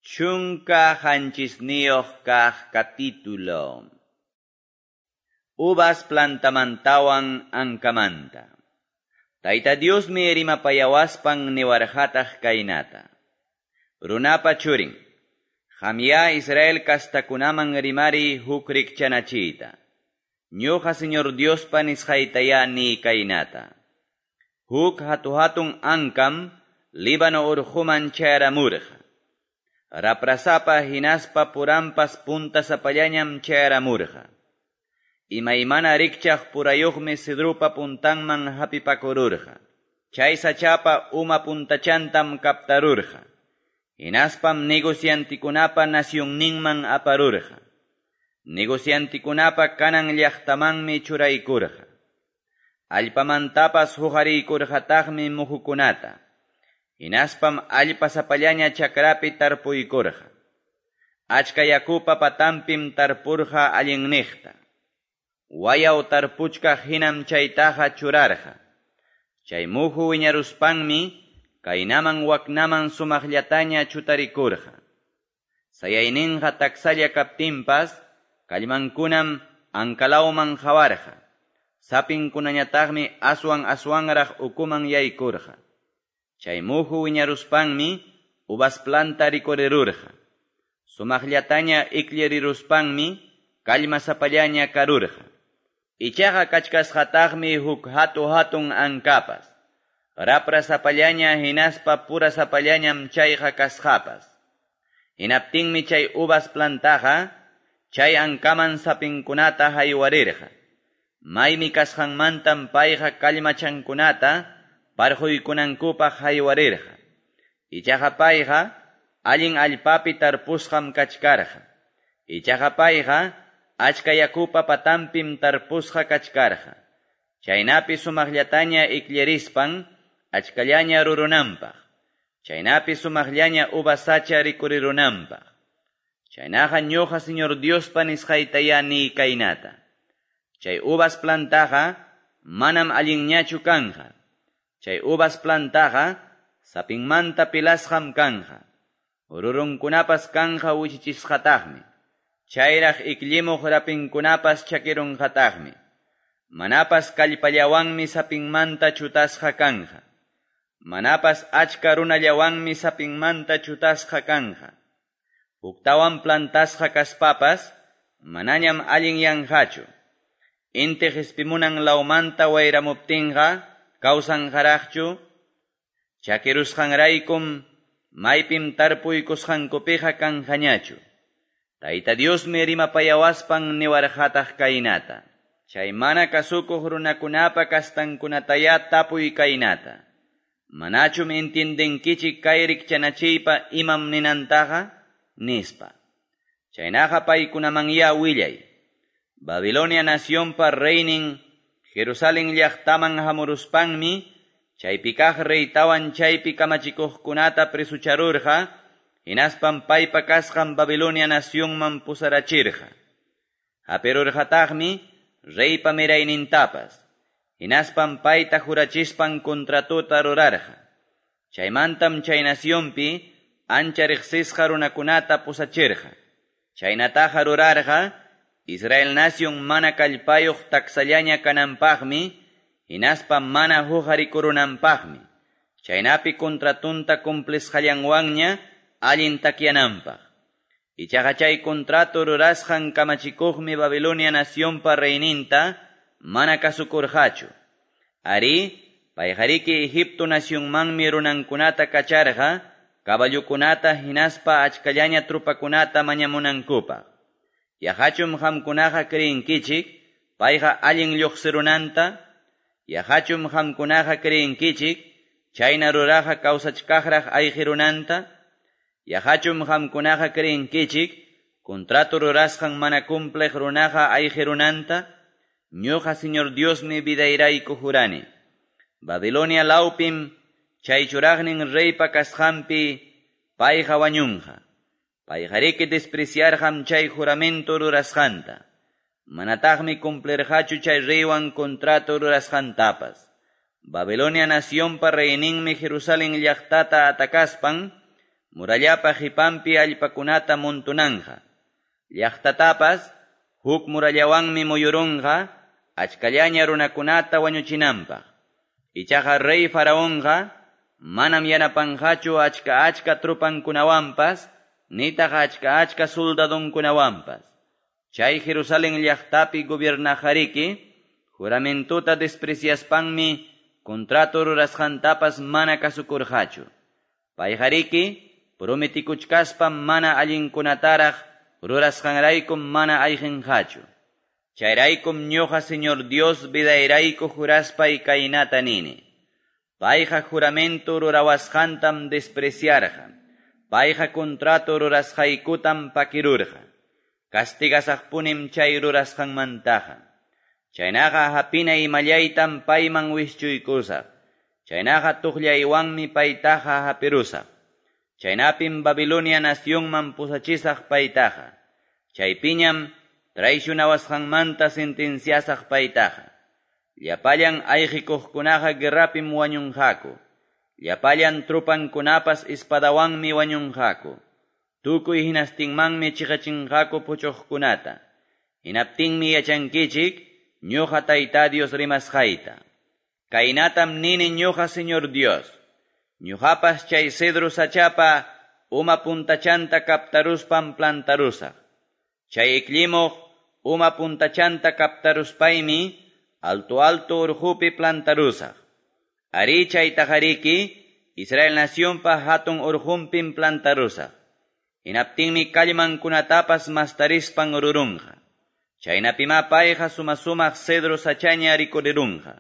17 kaq capítulo. Uvas plantamantawan ankamanta. Tayta Diosmi rimapayawaspan niwarqataq kaynata. Runapa churin, qamya Israel kastakunaman rimari huk rikchanachiyta. Ñuqa Señor Diospa nisqaytaya ni kaynata. Huk hatu-hatun ankam Líbano urquman chayaramurqa. Raprasapa hinaspa purampas puntasapallañam chayaramurqa. Imaymana rikchaq purayuqmi cedrupa puntanman hapipakururqa. Chay sachapa uma puntachantam kaptarurqa. Hinaspam negociantikunapa nacionninman aparurqa. Negociantikunapa kanan llaqtamanmi churaykurqa. Allpamantapas huqariykurqataqmi muhukunata. Hinaspam allpasapallaña chakrapi tarpuykurqa. Achka yakupa patanpim tarpurqa allinniqta. Wayaw tarpuchkaq hinam chaytaqa churarqa. Chay muhu wiñaruspanmi kaynaman waknaman sumaqllataña chutarikurqa. Sayayninqa taksalla kaptinpas kallmankunam ankalawman qawarqa. Sapinkunañataqmi aswan aswanraq ukuman yaykurqa. Chay muhu wiñaruspanmi uvas planta rikurirurqa. Sumaqllataña ikllariruspanmi kallmasapallaña karurqa. Ichaqa kachkasqataqmi huk hatu-hatun ankapas. Raprasapallaña hinaspa purasapallañam chayqa kasqapas. Hinaptinmi chay uvas plantaqa chay ankaman sapinkunata haywarirqa. Maymi kasqanmantam payqa kallmachankunata parquykunankupaq haywarirqa. Ichaqa payqa allin allpapi tarpusqam kachkarqa. Ichaqa payqa achka yakupa patanpim tarpusqa kachkarqa. Chaynapi sumaqllataña ikllarispan achkallaña rurunanpaq. Chaynapi sumaqllaña uvas sacha rikurirunanpaq. Chaynaqa ñuqa Señor Diospa nisqaytaya ni kaynata. Chay uvas plantaqa manam allinñachu kanja. Chay uvas plantaqa sapinmanta pilasqam kanja. Rurunkunapas kanja wichichisqataqmi. Chayraq ikllimuq rapinkunapas chakirunqataqmi. Manapas kallpallawanmi sapinmanta chutasqa kanja. Manapas achka runallawanmi sapinmanta chutasqa kanja. Huktawan plantasqa kaspapas manañam allinyanqachu. Inti qispimunan lawmanta wayramuptinqa kawsanqaraqchu. Chakirusqanraykum maypim tarpuykusqankupiqa kanqañachu. Tayta Diosmi rimapayawaspan niwarqataq kaynata. Chay mana kasukuq runakunapa kastankunataya tapuy kaynata. Manachum entiendenkichik kay rikchanachiypa imam ninantaqa? Nispa. Chaynaqa paykunamanya willay. Babilonia nacionpa reynin Jerusalén llaqtaman hamuruspanmi chaypi kaq reytawan chaypi kamachikuqkunata presucharurqa, hinaspam paypa kasqan Babilonia nacionman pusarachirqa. Hapirurqataqmi reypa miraynintapas, hinaspam payta jurachispan contratota rurarqa. Chaymantam chay nacionpi ancha riqsisqa runakunata pusachirqa. Chaynataqa rurarqa Israel nación mana kallpayuq taksallaña kananpaqmi, hinaspa mana huqarikurunanpaqmi. Chaynapi contratunta cumplisqallanwanña allin takyananpaq. Ichaqa chay contrato rurasqan kamachikuqmi Babilonia nacionpa reyninta mana kasukurqachu. Ari, payqariki Egipto nacionmanmi runankunata kacharqa, caballukunata hinaspa achkallaña trupakunata mañamunankupaq. Yaqachum qamkunaqa creenkichik, payqa allin lluqsirunanta? Yaqachum qamkunaqa creenkichik, chayna ruraqa kawsachkaqraq ayqirunanta? Yaqachum qamkunaqa creenkichik, contrato rurasqan mana cumpliq runaqa ayqirunanta? Ñuqa Señor Diosmi vidayrayku jurani. Babilonia lawpim chay churaqnin reypa kasqanpi payqa wañunqa. Payqariki despreciarqam chay juramento rurasqanta. Manataqmi cumplirqachu chay reywan contrato rurasqantapas. Babilonia nacionpa reyninmi Jerusalén llaqtata atakaspan murallapa qepanpi allpakunata montonanqa. Llaqtatapas huk murallawanmi muyurunqa achkallaña runakunata wañuchinanpaq. Ichaqa rey Faraonqa manam yanapanqachu achka achka tropankunawanpas, nitaq achka achka soldadonkunawanpas. Chay Jerusalén llaqtapi gobiernaqariki, juramentuta despreciaspanmi contrato rurasqantapas mana kasukurqachu. Payqariki prometikuchkaspa mana allinkunataraq rurasqanraykum mana ayqinqachu. Chayraykum ñuqa Señor Dios vidayrayku juraspay kaynata nini. Payqa juramento rurawasqantam despreciarqa. Payqa contrato rurasqaykutam pakirurqa. Castigasaqpunim chay rurasqanmantaqa. Chaynaqa hapina imallaytam payman wischuykusaq. Chaynaqa tuqllaywanmi paytaqa hapirusaq. Chaynapim Babilonia nacionman pusachisaq paytaqa. Chaypiñam traicionawasqanmanta sentenciasaq paytaqa. Llapallan ayqikuqkunaqa guerrapim wañunqaku. Llapallan tropankunapas espadawanmi wañunqaku. Tukuy hinastinmanmi chiqachinqaku puchuqkunata. Hinaptinmi yachankichik ñuqa Tayta Dios rimasqayta. Kaynatam nini ñuqa Señor Dios. Ñuqapas chay cedro sachapa uma puntachanta kaptaruspam plantarusaq. Chay iklimuq uma puntachanta kaptaruspaymi alto alto urqupi plantarusaq. Ari chaytaqariki Israel nacionpa hatun urqunpim plantarusaq. Hinaptinmi kallmankunatapas mastarispan rurunqa. Chaynapima payqa suma-sumaq cedro sachaña rikurirunqa.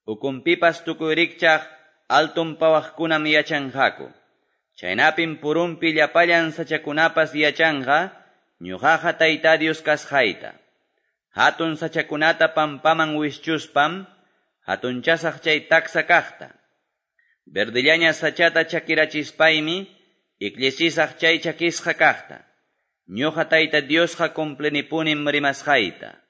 Ukunpipas tukuy rikchaq alton pawaqkunam yachanqaku. Chaynapim purunpi llapallan sachakunapas yachanqa, ñuqaqa Tayta Dios kasqayta. Hatun sachakunata pampaman wischuspam, hatunchasaq chay taksa kaqta. Verdillaña sachata chakirachispaymi, ikllisisaq chay chakisqa kaqta. Ñuqa Tayta Diosqa cumplinipunim rimasqayta.